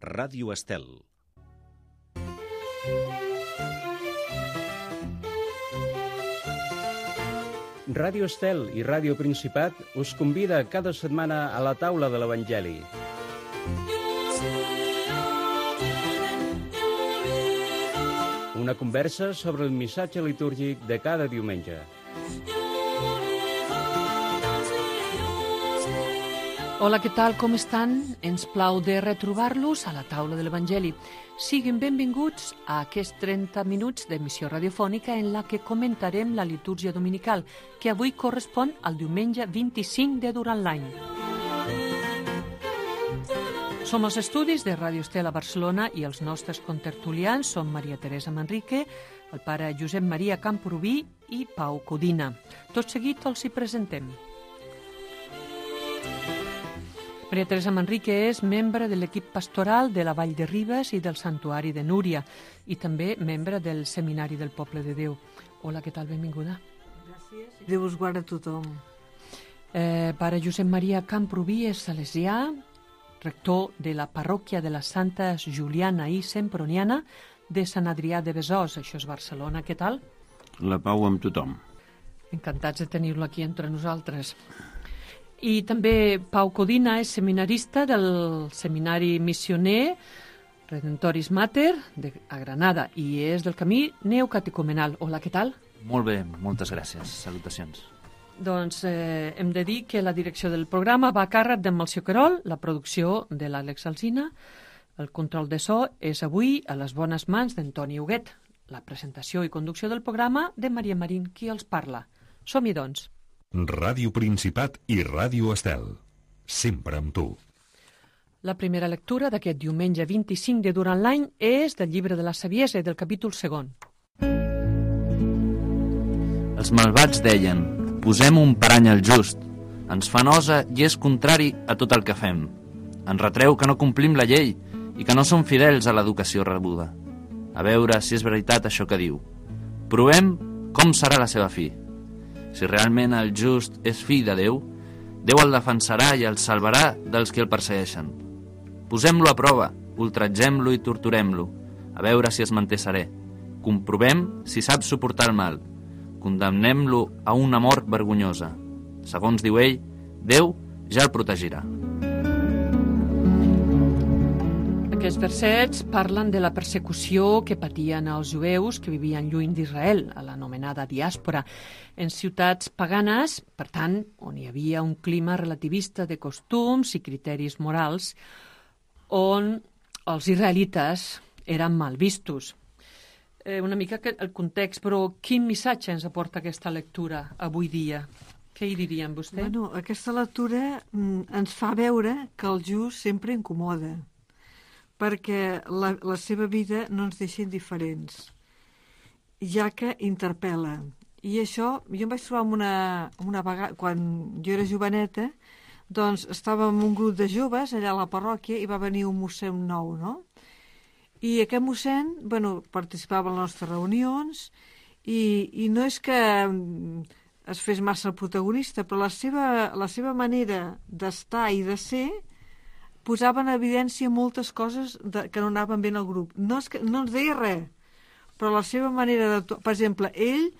Ràdio Estel. Ràdio Estel i Ràdio Principat us convida cada setmana a la taula de l'Evangeli. Una conversa sobre el missatge litúrgic de cada diumenge. Hola, què tal? Com estan? Ens plau de retrobar-los a la taula de l'Evangeli. Siguin benvinguts a aquests 30 minuts d'emissió radiofònica en la que comentarem la litúrgia dominical, que avui correspon al diumenge 25 de durant l'any. Som als estudis de Ràdio Estel a Barcelona i els nostres contertulians són Maria Teresa Manrique, el pare Josep Maria Camprubí i Pau Codina. Tot seguit els hi presentem. Maria Teresa Manrique és membre de l'equip pastoral de la Vall de Ribes i del Santuari de Núria i també membre del Seminari del Poble de Déu. Hola, què tal? Benvinguda. Gràcies. Déu us guarda a tothom. Pare Josep Maria Camprubí és salesià, rector de la parròquia de les Santes Juliana i Semproniana de Sant Adrià de Besòs. Això és Barcelona. Què tal? La pau amb tothom. Encantats de tenir-lo aquí entre nosaltres. I també Pau Codina és seminarista del Seminari Missioner Redentoris Mater a Granada i és del camí neocatecumenal. Hola, què tal? Molt bé, moltes gràcies. Salutacions. Doncs hem de dir que la direcció del programa va a càrrec d'en Melcior Querol, la producció de l'Àlex Alsina, el control de so és avui a les bones mans d'Antoni Huguet, la presentació i conducció del programa de Maria Marín, qui els parla. Som-hi, doncs. Ràdio Principat i Ràdio Estel. Sempre amb tu. La primera lectura d'aquest diumenge 25 de durant l'any és del llibre de la Saviesa, del capítol 2. Els malvats deien: posem un parany al just. Ens fa nosa i és contrari a tot el que fem. Ens retreu que no complim la llei i que no som fidels a l'educació rebuda. A veure si és veritat això que diu. Provem com serà la seva fi. Si realment el just és fill de Déu, Déu el defensarà i el salvarà dels que el persegueixen. Posem-lo a prova, ultratgem-lo i torturem-lo, a veure si es manté serè. Comprovem si sap suportar el mal. Condemnem-lo a una mort vergonyosa. Segons diu ell, Déu ja el protegirà. Aquests versets parlen de la persecució que patien els jueus que vivien lluny d'Israel, a l'anomenada diàspora, en ciutats paganes, per tant, on hi havia un clima relativista de costums i criteris morals, on els israelites eren mal vistos. Una mica el context, però quin missatge ens aporta aquesta lectura avui dia? Què hi dirien vostè? Bueno, aquesta lectura ens fa veure que el just sempre incomoda, perquè la seva vida no ens deixa indiferents, ja que interpel·la. I això, jo em vaig trobar una vegada, quan jo era joveneta, doncs estàvem en un grup de joves allà a la parròquia i va venir un mossèn nou, no? I aquest mossèn, bueno, participava en les nostres reunions i no és que es fes massa el protagonista, però la seva manera d'estar i de ser posava en evidència moltes coses que no anaven bé en el grup. No ens deia res, però la seva manera de... Per exemple, ell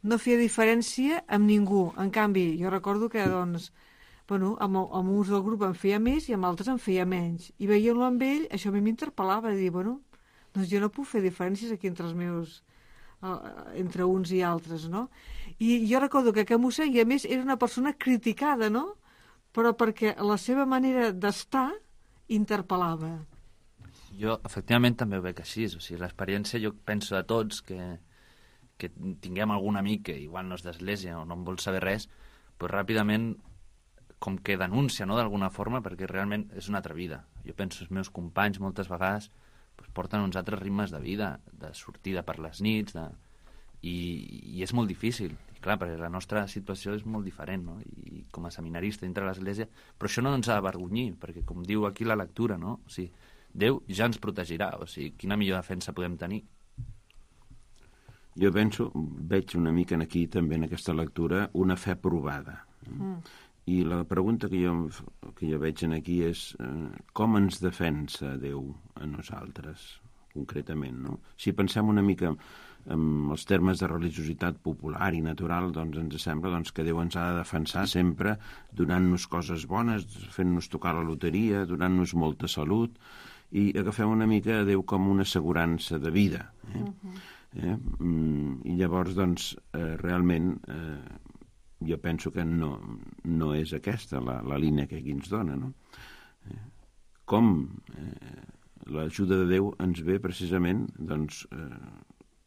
no feia diferència amb ningú. En canvi, jo recordo que, doncs, bueno, amb uns del grup en feia més i amb altres en feia menys. I veient-lo amb ell, això a mi m'interpel·lava, de dir, bueno, doncs jo no puc fer diferències aquí entre els meus... entre uns i altres, no? I jo recordo que aquest mossèn, i a més, era una persona criticada, no? Però perquè la seva manera d'estar interpel·lava. Jo, efectivament, també ho veig així. O sigui, l'experiència, jo penso de tots que tinguem algun amic que igual no és d'església o no en vol saber res, però ràpidament com que denuncia, no?, d'alguna forma, perquè realment és una altra vida. Jo penso, els meus companys moltes vegades porten uns altres ritmes de vida, de sortida per les nits, i és molt difícil. I clar, perquè la nostra situació és molt diferent, no? I com a seminarista dintre de l'Església, però això no ens ha d'avergonyir, perquè com diu aquí la lectura, no? O sigui, Déu ja ens protegirà, o sigui, quina millor defensa podem tenir? Jo penso, veig una mica aquí també en aquesta lectura, una fe provada. I la pregunta que jo veig aquí és com ens defensa Déu a nosaltres, concretament, no? Si pensem una mica en els termes de religiositat popular i natural, doncs ens sembla que Déu ens ha de defensar sempre donant-nos coses bones, fent-nos tocar la loteria, donant-nos molta salut, i agafem una mica a Déu com una assegurança de vida. I llavors, doncs, realment, jo penso que no és aquesta la línia que aquí ens dona, no? Com l'ajuda de Déu ens ve precisament, doncs,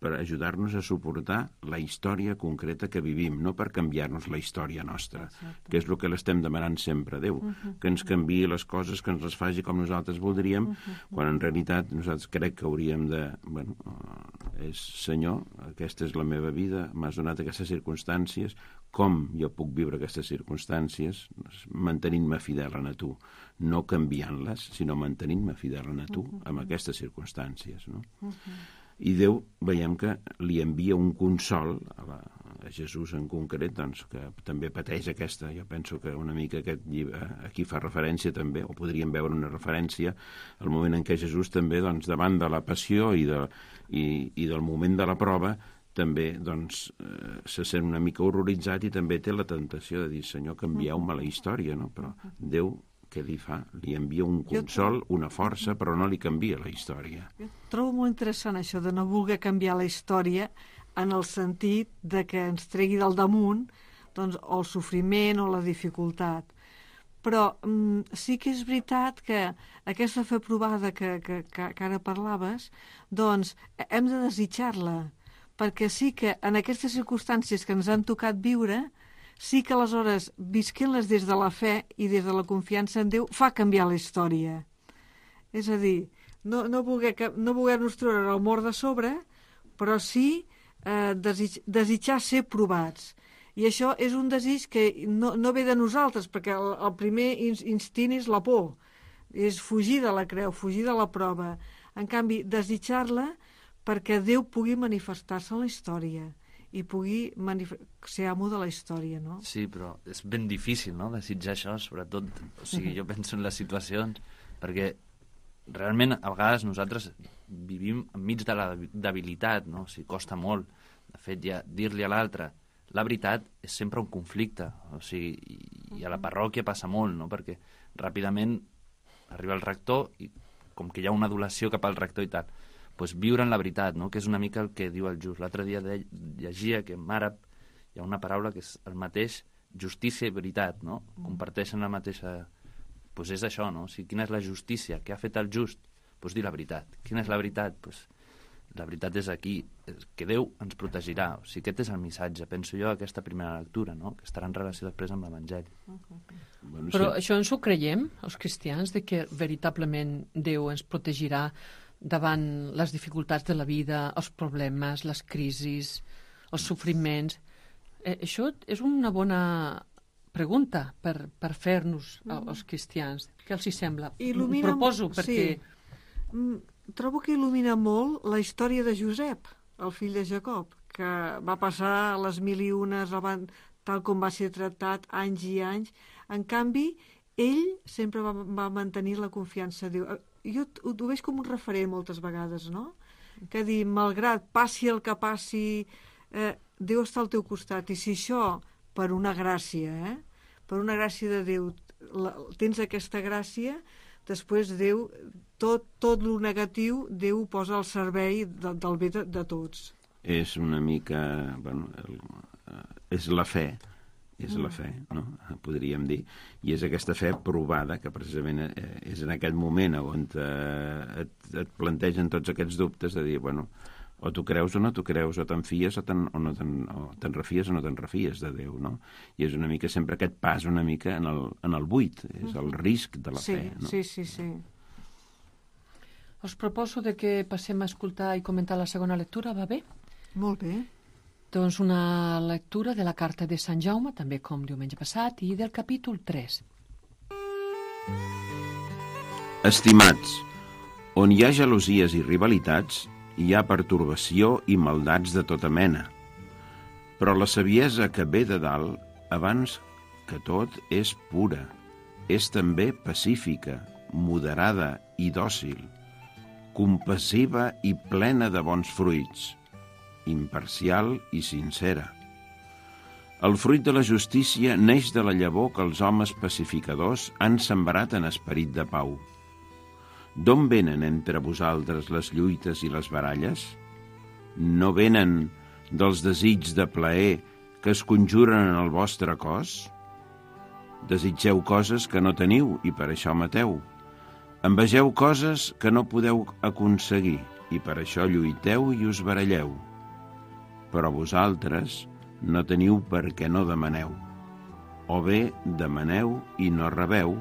per ajudar-nos a suportar la història concreta que vivim, no per canviar-nos la història nostra, que és el que l'estem demanant sempre a Déu, que ens canviï les coses, que ens les faci com nosaltres voldríem, quan en realitat nosaltres crec que hauríem de... Bueno, és Senyor, aquesta és la meva vida, m'has donat aquestes circumstàncies, com jo puc viure aquestes circumstàncies mantenint-me fidel a tu, no canviant-les, sinó mantenint-me fidel a tu amb aquestes circumstàncies, no? I Déu veiem que li envia un consol a Jesús en concret, doncs, que també pateix aquesta. Jo penso que una mica aquest llibre aquí fa referència també, o podríem veure una referència al moment en què Jesús també, doncs, davant de la passió i del moment de la prova, també, doncs, se sent una mica horroritzat i també té la tentació de dir, Senyor, canvieu-me la història, no? Però Déu, què li fa? Li envia un consol, una força, però no li canvia la història. Jo trobo molt interessant això de no voler canviar la història en el sentit de que ens tregui del damunt, doncs, o el sofriment o la dificultat. Però sí que és veritat que aquesta fe provada que ara parlaves, doncs hem de desitjar-la, perquè sí que en aquestes circumstàncies que ens han tocat viure, sí que aleshores, visquent-les des de la fe i des de la confiança en Déu, fa canviar la història. És a dir, no voler-nos treure el mort de sobre, però sí desitjar ser provats. I això és un desig que no ve de nosaltres, perquè el primer instint és la por, és fugir de la creu, fugir de la prova. En canvi, desitjar-la perquè Déu pugui manifestar-se en la història i pugui ser amo de la història, no? Sí, però és ben difícil, no?, desitjar això, sobretot, o sigui, jo penso en les situacions, perquè realment a vegades nosaltres vivim enmig de la debilitat, no?, o sigui, costa molt. De fet, ja dir-li a l'altre la veritat és sempre un conflicte, o sigui, i a la parròquia passa molt, no?, perquè ràpidament arriba el rector i com que hi ha una adulació cap al rector i tal, doncs viure en la veritat, no?, que és una mica el que diu el Just. L'altre dia llegia que en àrab hi ha una paraula que és el mateix justícia i veritat, no? Comparteixen la mateixa... Doncs és això, no? O sigui, quina és la justícia? Què ha fet el Just? Doncs dir la veritat. Quina és la veritat? Doncs la veritat és aquí, que Déu ens protegirà. O sigui, aquest és el missatge, penso jo, aquesta primera lectura, no?, que estarà en relació després amb l'Evangeli. Bueno, però això ens ho creiem, els cristians, de que veritablement Déu ens protegirà davant les dificultats de la vida, els problemes, les crisis, els sofriments. Això és una bona pregunta per fer-nos als cristians. Què els hi sembla? Il·lumina, proposo, perquè... Sí. Trobo que il·lumina molt la història de Josep, el fill de Jacob, que va passar les 1001, tal com va ser tractat, anys i anys. En canvi, ell sempre va mantenir la confiança a Déu. Jo ho veig com un referent moltes vegades, no? Que dir, malgrat passi el que passi, Déu està al teu costat. I si això, per una gràcia, per una gràcia de Déu, tens aquesta gràcia, després Déu, tot el negatiu, Déu ho posa al servei del bé de tots. És una mica... Bueno, és la fe. És la fe, no?, podríem dir. I és aquesta fe provada, que precisament és en aquell moment on et plantegen tots aquests dubtes de dir, bueno, o tu creus o no tu creus, o te'n fies o te'n refies o no te'n refies de Déu, no? I és una mica sempre aquest pas una mica en el buit, és el risc de la fe, no? Sí. Us proposo de que passem a escoltar i comentar la segona lectura, va bé? Molt bé. Doncs una lectura de la carta de Sant Jaume, també com diumenge passat, i del capítol 3. Estimats, on hi ha gelosies i rivalitats, hi ha pertorbació i maldats de tota mena. Però la saviesa que ve de dalt, abans que tot és pura, és també pacífica, moderada i dòcil, compassiva i plena de bons fruits, imparcial i sincera. El fruit de la justícia neix de la llavor que els homes pacificadors han sembrat en esperit de pau. D'on venen entre vosaltres les lluites i les baralles? No venen dels desigs de plaer que es conjuren en el vostre cos? Desitgeu coses que no teniu i per això mateu. Envegeu coses que no podeu aconseguir i per això lluiteu i us baralleu. Però vosaltres no teniu perquè no demaneu. O bé demaneu i no rebeu,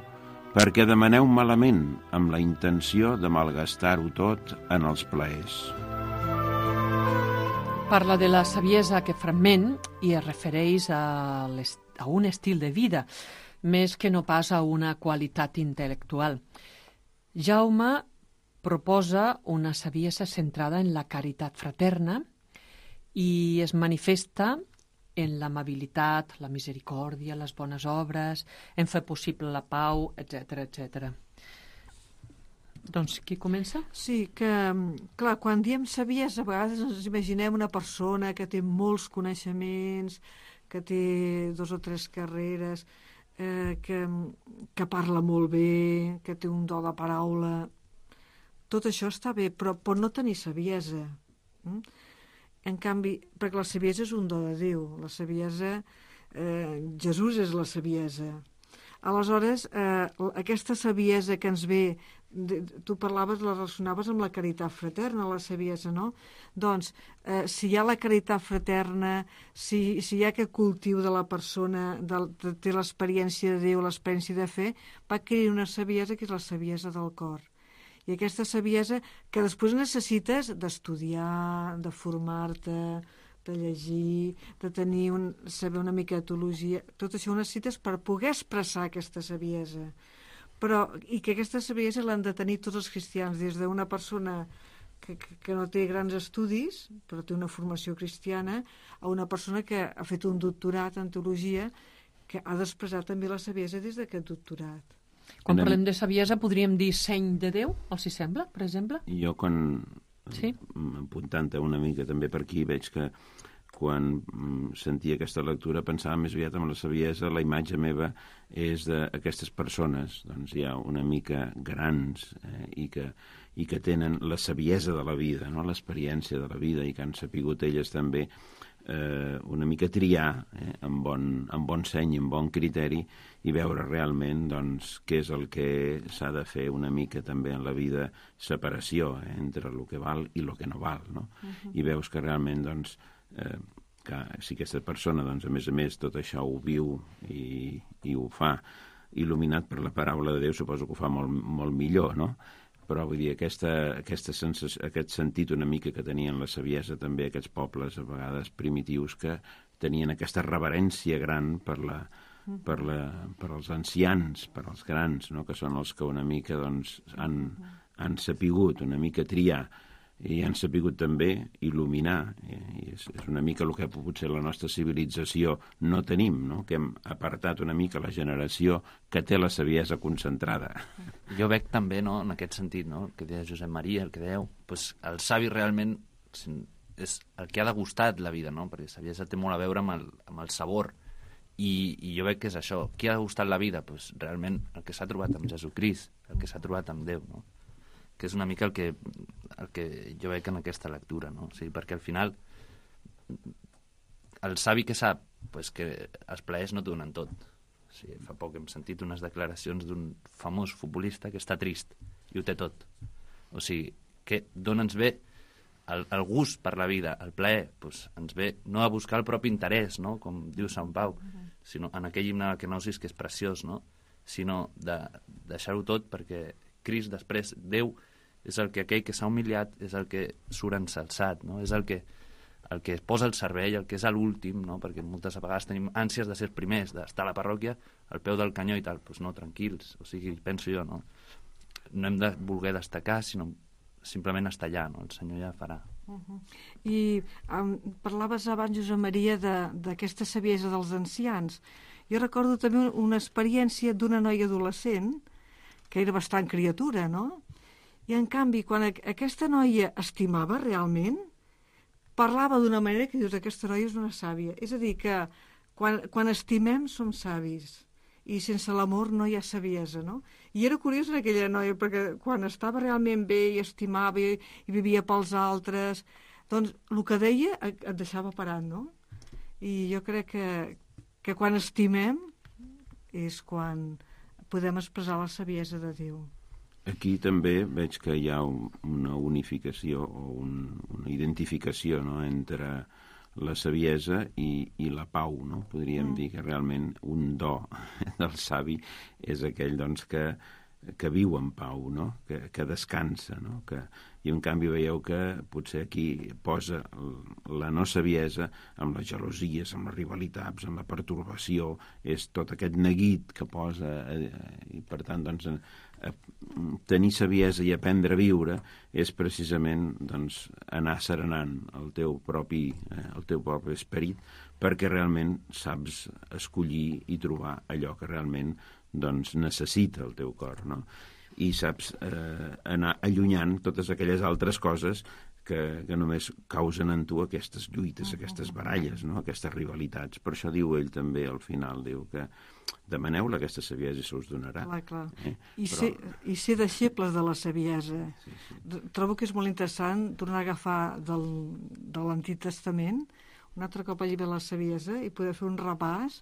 perquè demaneu malament amb la intenció de malgastar-ho tot en els plaers. Parla de la saviesa que fragment i es refereix a un estil de vida, més que no pas a una qualitat intel·lectual. Jaume proposa una saviesa centrada en la caritat fraterna i es manifesta en l'amabilitat, la misericòrdia, les bones obres, en fer possible la pau, etc etc. Doncs qui comença? Sí, que, clar, quan diem saviesa, a vegades ens imaginem una persona que té molts coneixements, que té 2 o 3 carreres, que parla molt bé, que té un do de paraula. Tot això està bé, però pot no tenir saviesa. En canvi, perquè la saviesa és un do de Déu, la saviesa, Jesús és la saviesa. Aleshores, aquesta saviesa que ens ve, tu parlaves, la relacionaves amb la caritat fraterna, la saviesa, no? Doncs, si hi ha la caritat fraterna, si hi ha aquest cultiu de la persona, té l'experiència de Déu, l'experiència de fe, va adquirir una saviesa que és la saviesa del cor. I aquesta saviesa que després necessites d'estudiar, de formar-te, de llegir, de tenir saber una mica de teologia, tot això ho necessites per poder expressar aquesta saviesa. I que aquesta saviesa l'han de tenir tots els cristians, des d'una persona que no té grans estudis, però té una formació cristiana, a una persona que ha fet un doctorat en teologia, que ha d'expressar també la saviesa des d'aquest doctorat. Quan parlem de saviesa podríem dir seny de Déu, els hi sembla, per exemple? Jo apuntant-te una mica també per aquí, veig que quan sentia aquesta lectura pensava més aviat en la saviesa, la imatge meva és d'aquestes persones, doncs ja una mica grans i que tenen la saviesa de la vida, no? L'experiència de la vida i que han sapigut elles també una mica triar amb bon seny, amb bon criteri i veure realment doncs, què és el que s'ha de fer una mica també en la vida, separació entre el que val i el que no val, no? I veus que realment doncs, que si aquesta persona doncs, a més tot això ho viu i ho fa il·luminat per la paraula de Déu, suposo que ho fa molt, molt millor, no? Però vull dir, aquest sentit una mica que tenien la saviesa també aquests pobles a vegades primitius que tenien aquesta reverència gran per als ancians, per als grans, no? Que són els que una mica doncs, han sapigut una mica triar i han sapigut també il·luminar. I és una mica el que potser la nostra civilització no tenim, no? Que hem apartat una mica la generació que té la saviesa concentrada. Jo veig també, no, en aquest sentit, no, el que deia Josep Maria, el que dèieu, doncs el savi realment és el que ha degustat la vida, no? Perquè la saviesa té molt a veure amb el sabor. I jo veig que és això. Qui ha degustat la vida? Doncs realment el que s'ha trobat amb Jesucrist, el que s'ha trobat amb Déu, no? Que és una mica el que jo veig en aquesta lectura, no? O sigui, perquè al final el savi que sap pues, que els plaers no t'ho donen tot. O sigui, fa poc hem sentit unes declaracions d'un famós futbolista que està trist i ho té tot. O sigui, que d'on ens ve el gust per la vida, el plaer, pues, ens ve no a buscar el propi interès, no? Com diu Sant Pau, sinó en aquell himne de Kenosis que és preciós, no? Sinó de deixar-ho tot perquè Crist després, Déu, és aquell que s'ha humiliat, és el que surt ensalçat, no? És el que posa el servei, el que és l'últim, no? Perquè moltes vegades tenim ànsies de ser els primers, d'estar a la parròquia al peu del canyó i tal. Doncs no, tranquils, o sigui, penso jo, no? No hem de voler destacar, sinó simplement estar allà, no? El Senyor ja farà. I parlaves abans, Josep Maria, d'aquesta saviesa dels ancians. Jo recordo també una experiència d'una noia adolescent, que era bastant criatura, no? I, en canvi, quan aquesta noia estimava realment, parlava d'una manera que dius, aquesta noia és una sàvia. És a dir, que quan estimem som savis, i sense l'amor no hi ha saviesa, no? I era curiós en aquella noia, perquè quan estava realment bé i estimava i vivia pels altres, doncs el que deia et deixava parat, no? I jo crec que quan estimem és quan podem expressar la saviesa de Déu. Aquí també veig que hi ha una unificació o una identificació, no?, entre la saviesa i la pau, no? Podríem dir que realment un do del savi és aquell, doncs, que viu en pau, no? Que descansa, no? I en canvi veieu que potser aquí posa la no saviesa amb les gelosies, amb les rivalitats, amb la pertorbació, és tot aquest neguit que posa, i per tant, doncs, tenir saviesa i aprendre a viure és precisament, doncs, anar serenant el teu propi esperit, perquè realment saps escollir i trobar allò que realment, doncs, necessita el teu cor, no? I saps anar allunyant totes aquelles altres coses que només causen en tu aquestes lluites, aquestes baralles, no?, aquestes rivalitats. Per això diu ell també al final, diu que demaneu-la aquesta saviesa i se us donarà. Clar. I ser deixebles de la saviesa. Sí. Trobo que és molt interessant tornar a agafar de l'Antic Testament un altre cop al llibre de la saviesa i poder fer un repàs,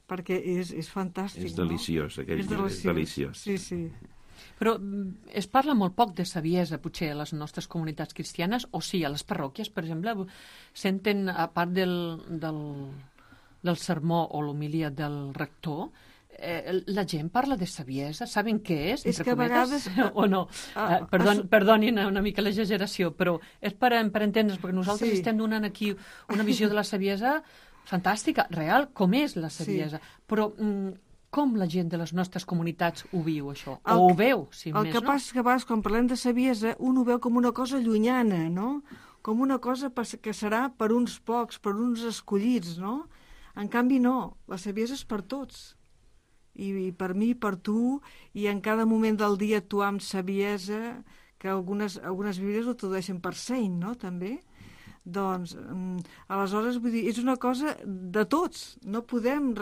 perquè és fantàstic. És deliciós, aquell llibre és deliciós. Sí. Però es parla molt poc de saviesa, potser, a les nostres comunitats cristianes, o sí, a les parròquies, per exemple, senten, a part del sermó o l'homilia del rector, la gent parla de saviesa, saben què és? És que a vegades... O no? Perdonin una mica l'exageració, però és per entendre's, perquè nosaltres estem donant aquí una visió de la saviesa fantàstica, real, com és la saviesa. Però com la gent de les nostres comunitats ho viu, això? O ho veu, si més, no? El que passa és que a vegades, quan parlem de saviesa, un ho veu com una cosa llunyana, no? Com una cosa que serà per uns pocs, per uns escollits, no? En canvi, no. La saviesa és per tots. I per mi, per tu, i en cada moment del dia actuar amb saviesa, que algunes bíblies ho tradueixen per seny, no?, també. Doncs, aleshores, vull dir, és una cosa de tots. No podem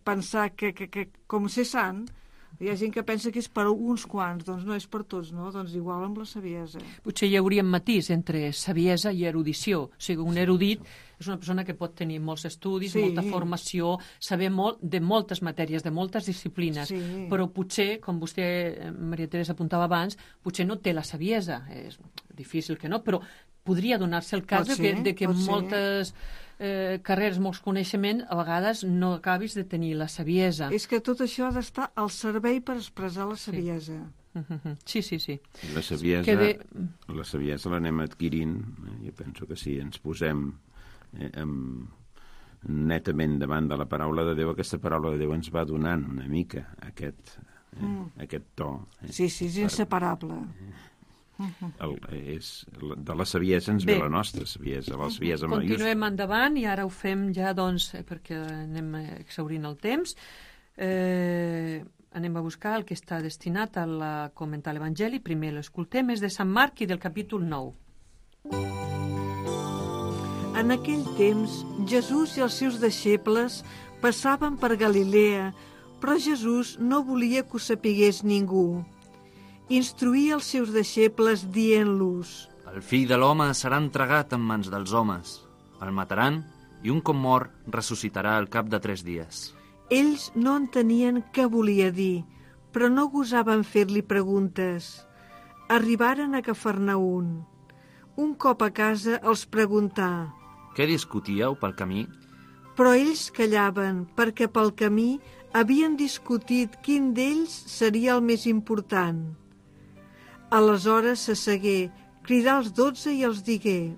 pensar que com ser sant, hi ha gent que pensa que és per uns quants, doncs no és per tots, no? Doncs igual amb la saviesa. Potser hi hauria un matís entre saviesa i erudició. O sigui, un erudit és una persona que pot tenir molts estudis, molta formació, saber molt de moltes matèries, de moltes disciplines, però potser, com vostè, Maria Teresa, apuntava abans, potser no té la saviesa. És difícil que no, però podria donar-se el cas de que moltes carreres, molts coneixements, a vegades no acabis de tenir la saviesa. És que tot això ha d'estar al servei per expressar la saviesa. Sí. La saviesa l'anem adquirint, jo penso que si ens posem netament davant de la paraula de Déu, aquesta paraula de Déu ens va donant una mica aquest to. Sí, és inseparable. De la saviesa ens ve la nostra saviesa, la saviesa majúscula. Continuem endavant i ara ho fem ja, doncs, perquè anem exhaurint el temps. Anem a buscar el que està destinat a comentar l'Evangeli. Primer l'escoltem, és de Sant Marc i del capítol 9. En aquell temps, Jesús i els seus deixebles passaven per Galilea, però Jesús no volia que ho sapigués ningú. Instruïa els seus deixebles dient-los: El fill de l'home serà entregat en mans dels homes. El mataran i un cop mort ressuscitarà al cap de 3 dies. Ells no entenien què volia dir, però no gosaven fer-li preguntes. Arribaren a Cafarnaún. Un cop a casa els preguntà: Què discutíeu pel camí? Però ells callaven, perquè pel camí havien discutit quin d'ells seria el més important. Aleshores s'assegué, cridà els 12 i els digué: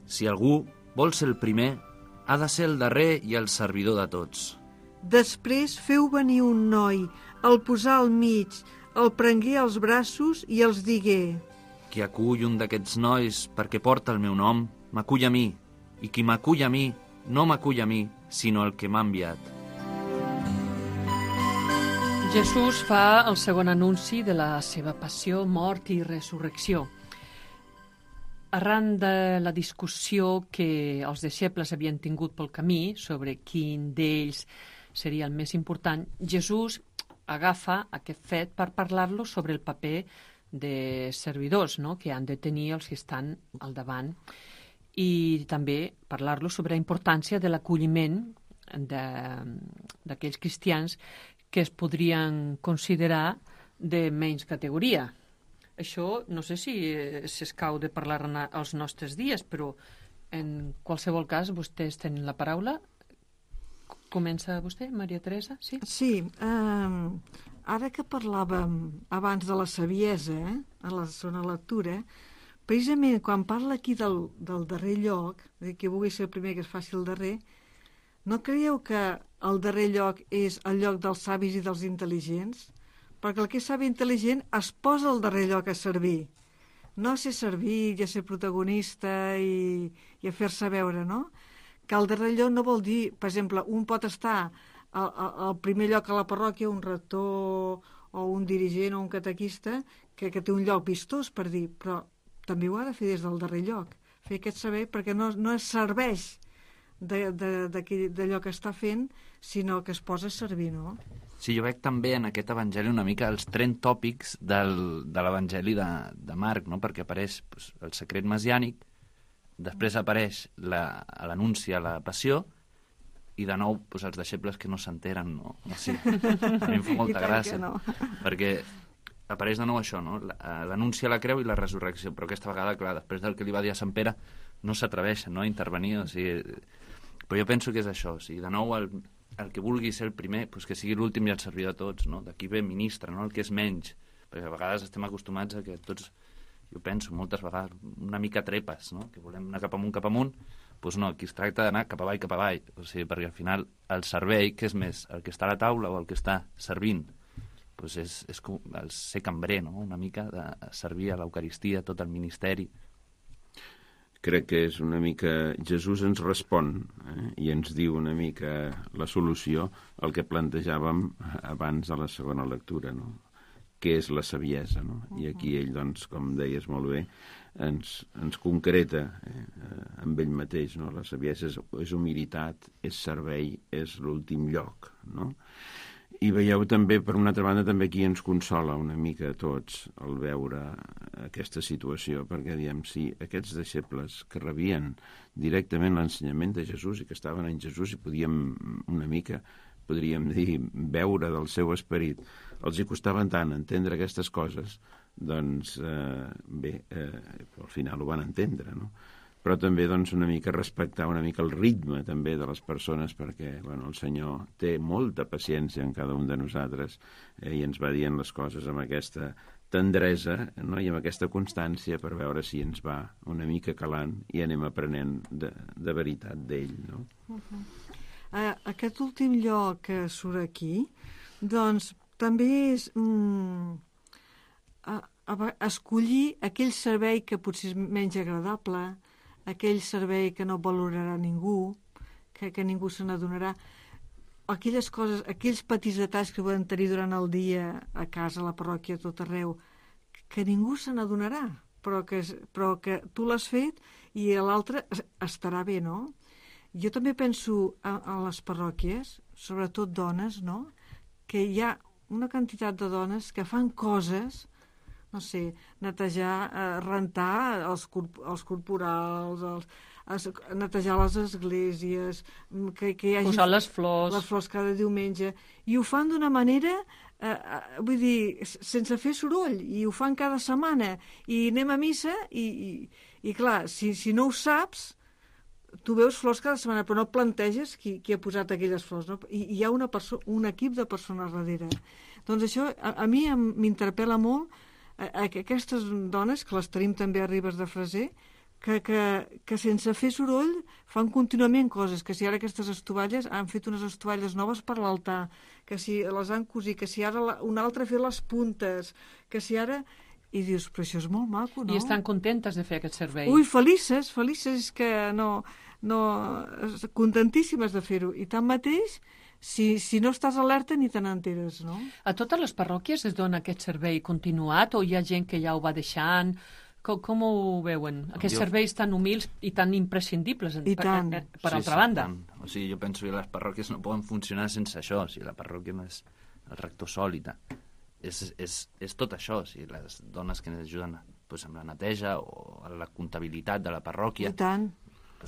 Si algú vol ser el primer, ha de ser el darrer i el servidor de tots. Després feu venir un noi, el posà al mig, el prengué als braços i els digué: Qui acull un d'aquests nois perquè porta el meu nom, m'acull a mi, i qui m'acull a mi, no m'acull a mi, sinó el que m'ha enviat. Jesús fa el segon anunci de la seva passió, mort i resurrecció. Arran de la discussió que els deixebles havien tingut pel camí sobre quin d'ells seria el més important, Jesús agafa aquest fet per parlar-lo sobre el paper de servidors, no?, que han de tenir els que estan al davant, i també parlar-lo sobre la importància de l'acolliment d'aquells cristians que es podrien considerar de menys categoria. Això no sé si s'escau de parlar als nostres dies, però en qualsevol cas vostès tenen la paraula. Comença vostè, Maria Teresa? Sí, sí, ara que parlàvem abans de la saviesa, a la segona lectura, precisament quan parla aquí del darrer lloc, que vulgui ser el primer que es faci el darrer, no creieu que el darrer lloc és el lloc dels savis i dels intel·ligents? Perquè el que és savi i intel·ligent es posa al darrer lloc a servir. No a ser servit i a ser protagonista i a fer-se veure, no? Que el darrer lloc no vol dir, per exemple, un pot estar al primer lloc a la parròquia, un rector o un dirigent o un catequista, que té un lloc vistós, per dir, però també ho ha de fer des del darrer lloc. Fer aquest saber, perquè no es serveix d'allò que està fent, sinó que es posa a servir, no? Sí, jo veig també en aquest evangeli una mica els trend tòpics de l'evangeli de Marc, no?, perquè apareix el secret messiànic, després apareix l'anunci a la passió, i de nou els deixebles que no s'enteren, no? Sí, a mi em fa molta gràcia, no? Perquè apareix de nou això, no?, l'anunci a la creu i la resurrecció, però aquesta vegada, clar, després del que li va dir a Sant Pere, no s'atreveixen, no?, a intervenir, o sigui... Però jo penso que és això, o sigui, de nou el que vulgui ser el primer, doncs que sigui l'últim i el servir de tots, no? D'aquí ve ministre, no?, el que és menys, perquè a vegades estem acostumats a que tots, jo penso moltes vegades, una mica trepes, no?, que volem anar cap amunt, doncs no, aquí es tracta d'anar cap avall, o sigui, perquè al final el servei, que és més, el que està a la taula o el que està servint, doncs és com el ser cambrer, no?, una mica de servir a l'Eucaristia, tot el ministeri. Crec que és una mica... Jesús ens respon i ens diu una mica la solució al que plantejàvem abans de la segona lectura, no?, què és la saviesa, no? I aquí ell, doncs, com deies molt bé, ens concreta amb ell mateix, no? La saviesa és humilitat, és servei, és l'últim lloc, no? I veieu també, per una altra banda, també aquí ens consola una mica a tots el veure aquesta situació, perquè diem, si aquests deixebles que rebien directament l'ensenyament de Jesús i que estaven en Jesús i podríem dir, veure del seu esperit, els hi costaven tant entendre aquestes coses, doncs bé, al final ho van entendre, no? Però també doncs, una mica respectar una mica el ritme també de les persones, perquè bueno, el Senyor té molta paciència en cada un de nosaltres i ens va dient les coses amb aquesta tendresa, no?, i amb aquesta constància per veure si ens va una mica calant i anem aprenent de veritat d'ell, no? Aquest últim lloc que surt aquí, doncs també és escollir aquell servei que potser és menys agradable, aquell servei que no valorarà ningú, que ningú se n'adonarà, aquelles coses, aquells petits detalls que poden tenir durant el dia a casa, a la parròquia, a tot arreu, que ningú se n'adonarà, però que tu l'has fet i l'altre estarà bé, no? Jo també penso a les parròquies, sobretot dones, no?, que hi ha una quantitat de dones que fan coses, no sé, netejar, rentar els corporals, netejar les esglésies, que hi hagi... Posar les flors cada diumenge, i ho fan d'una manera, vull dir, sense fer soroll, i ho fan cada setmana, i anem a missa, i clar, si no ho saps, tu veus flors cada setmana, però no planteges qui ha posat aquelles flors, no? I hi ha un equip de persones darrere. Doncs això a mi m'interpel·la molt, aquestes dones, que les tenim també a Ribes de Freser, que sense fer soroll fan contínuament coses, que si ara aquestes estovalles han fet unes estovalles noves per l'altar, que si les han cosit, que si ara una altra ha fet les puntes, que si ara... I dius, però això és molt maco, no? I estan contentes de fer aquest servei. Ui, felices, és que no contentíssimes de fer-ho. I tanmateix si no estàs alerta ni te n'enteres, no? A totes les parròquies es dona aquest servei continuat o hi ha gent que ja ho va deixant? Com ho veuen? Aquests serveis tan humils i tan imprescindibles per altra banda. O sigui, jo penso que les parròquies no poden funcionar sense això. O sigui, la parròquia no és el rector sòlid. És tot això. O sigui, les dones que ens ajuden doncs, amb la neteja o a la comptabilitat de la parròquia. I tant.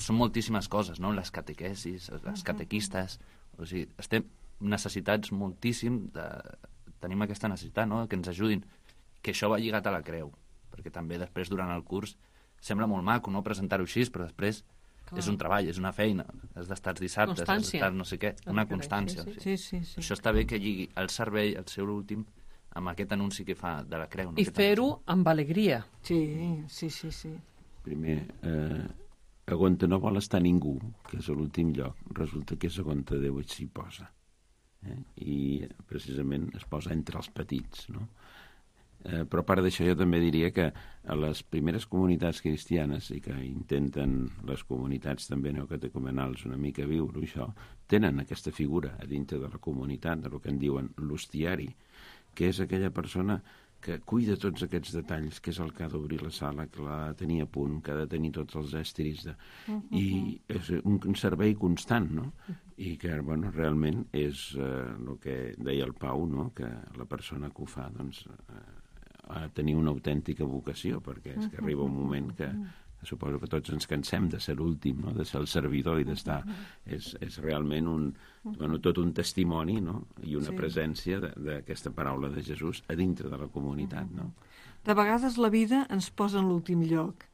Són moltíssimes coses, no? Les catequesis, les catequistes... O sigui, estem necessitats moltíssim tenim aquesta necessitat, no?, que ens ajudin, que això va lligat a la creu, perquè també després, durant el curs, sembla molt maco, no?, presentar-ho així, però després és un treball, és una feina, has d'estar els dissabtes, has d'estar no sé què, una constància. Sí. Això està bé que lligui el servei, el seu últim, amb aquest anunci que fa de la creu. No? I fer-ho amb alegria. Sí. Primer, on no vol estar ningú, que és l'últim lloc, resulta que és on Déu s'hi posa. I precisament es posa entre els petits, no? Però a part d'això jo també diria que a les primeres comunitats cristianes, i que intenten les comunitats també neocatecumenals una mica viure això, tenen aquesta figura a dintre de la comunitat, del que en diuen l'hostiari, que és aquella persona que cuida tots aquests detalls, que és el que ha d'obrir la sala, que l'ha de tenir a punt, que ha de tenir tots els estris. I és un servei constant, no? I que, bueno, realment és el que deia el Pau, no?, que la persona que ho fa, doncs, ha de tenir una autèntica vocació, perquè és que arriba un moment que suposo que tots ens cansem de ser l'últim, no?, de ser el servidor i d'estar... És realment tot un testimoni, no?, i una presència d'aquesta paraula de Jesús a dintre de la comunitat, no? De vegades la vida ens posa en l'últim lloc,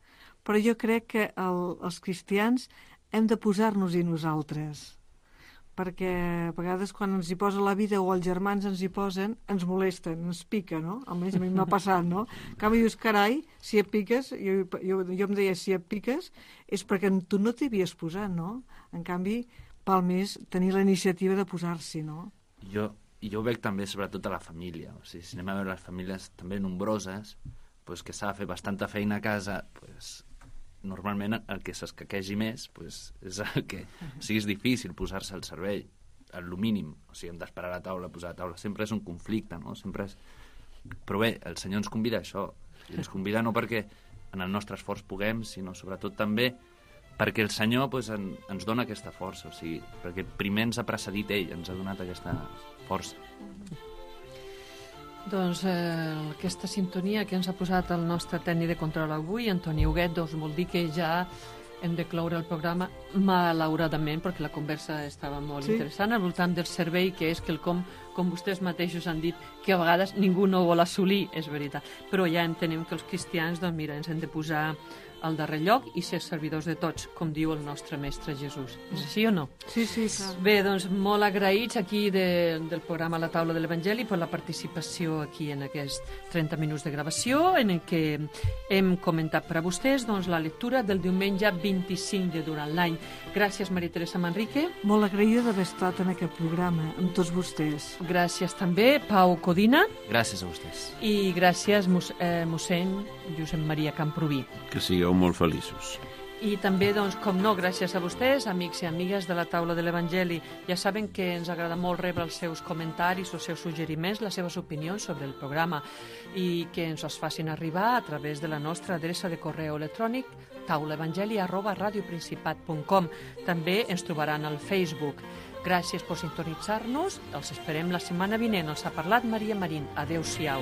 però jo crec que els cristians hem de posar-nos-hi nosaltres, perquè a vegades quan ens hi posa la vida o els germans ens hi posen, ens molesten, ens pica, no? Almenys a mi m'ha passat, no? En canvi dius, carai, si et piques, jo em deia, si et piques, és perquè tu no t'hi havies posat, no? En canvi, val més tenir la iniciativa de posar-s'hi, no? Jo ho veig també sobretot a la família. O sigui, si anem a veure les famílies també nombroses, pues, que s'ha de fer bastanta feina a casa, pues, normalment el que s'escaquegi més pues, és el que és difícil posar-se al servei, el mínim. O sigui, hem d'esperar a la taula, posar a la taula. Sempre és un conflicte, no? Sempre és... Però bé, el Senyor ens convida a això. I ens convida no perquè en el nostre esforç puguem, sinó sobretot també perquè el Senyor pues, ens dona aquesta força. O sigui, perquè primer ens ha precedit ell, ens ha donat aquesta força. Doncs aquesta sintonia que ens ha posat el nostre tècnic de control avui, Antoni Huguet, doncs vol dir que ja hem de cloure el programa, malauradament, perquè la conversa estava molt interessant, al voltant del servei, que és quelcom, com vostès mateixos han dit, que a vegades ningú no vol assolir, és veritat. Però ja entenem que els cristians, doncs mira, ens hem de posar al darrer lloc i ser servidors de tots, com diu el nostre mestre Jesús. És així o no? Sí, clar. Bé, doncs molt agraïts aquí del programa La Taula de l'Evangeli per la participació aquí en aquests 30 minuts de gravació en què hem comentat per a vostès doncs, la lectura del diumenge 25 de durant l'any. Gràcies, Maria Teresa Manrique. Molt agraïda d'haver estat en aquest programa amb tots vostès. Gràcies també, Pau Codina. Gràcies a vostès. I gràcies, mossèn Josep Maria Camproví. Que sigueu molt feliços. I també, doncs, com no, gràcies a vostès, amics i amigues de la Taula de l'Evangeli. Ja saben que ens agrada molt rebre els seus comentaris, els seus suggeriments, les seves opinions sobre el programa i que ens els facin arribar a través de la nostra adreça de correu electrònic taulaevangeli@radioprincipat.com. També ens trobaran al Facebook. Gràcies per sintonitzar-nos. Els esperem la setmana vinent. Els ha parlat Maria Marín. Adéu-siau.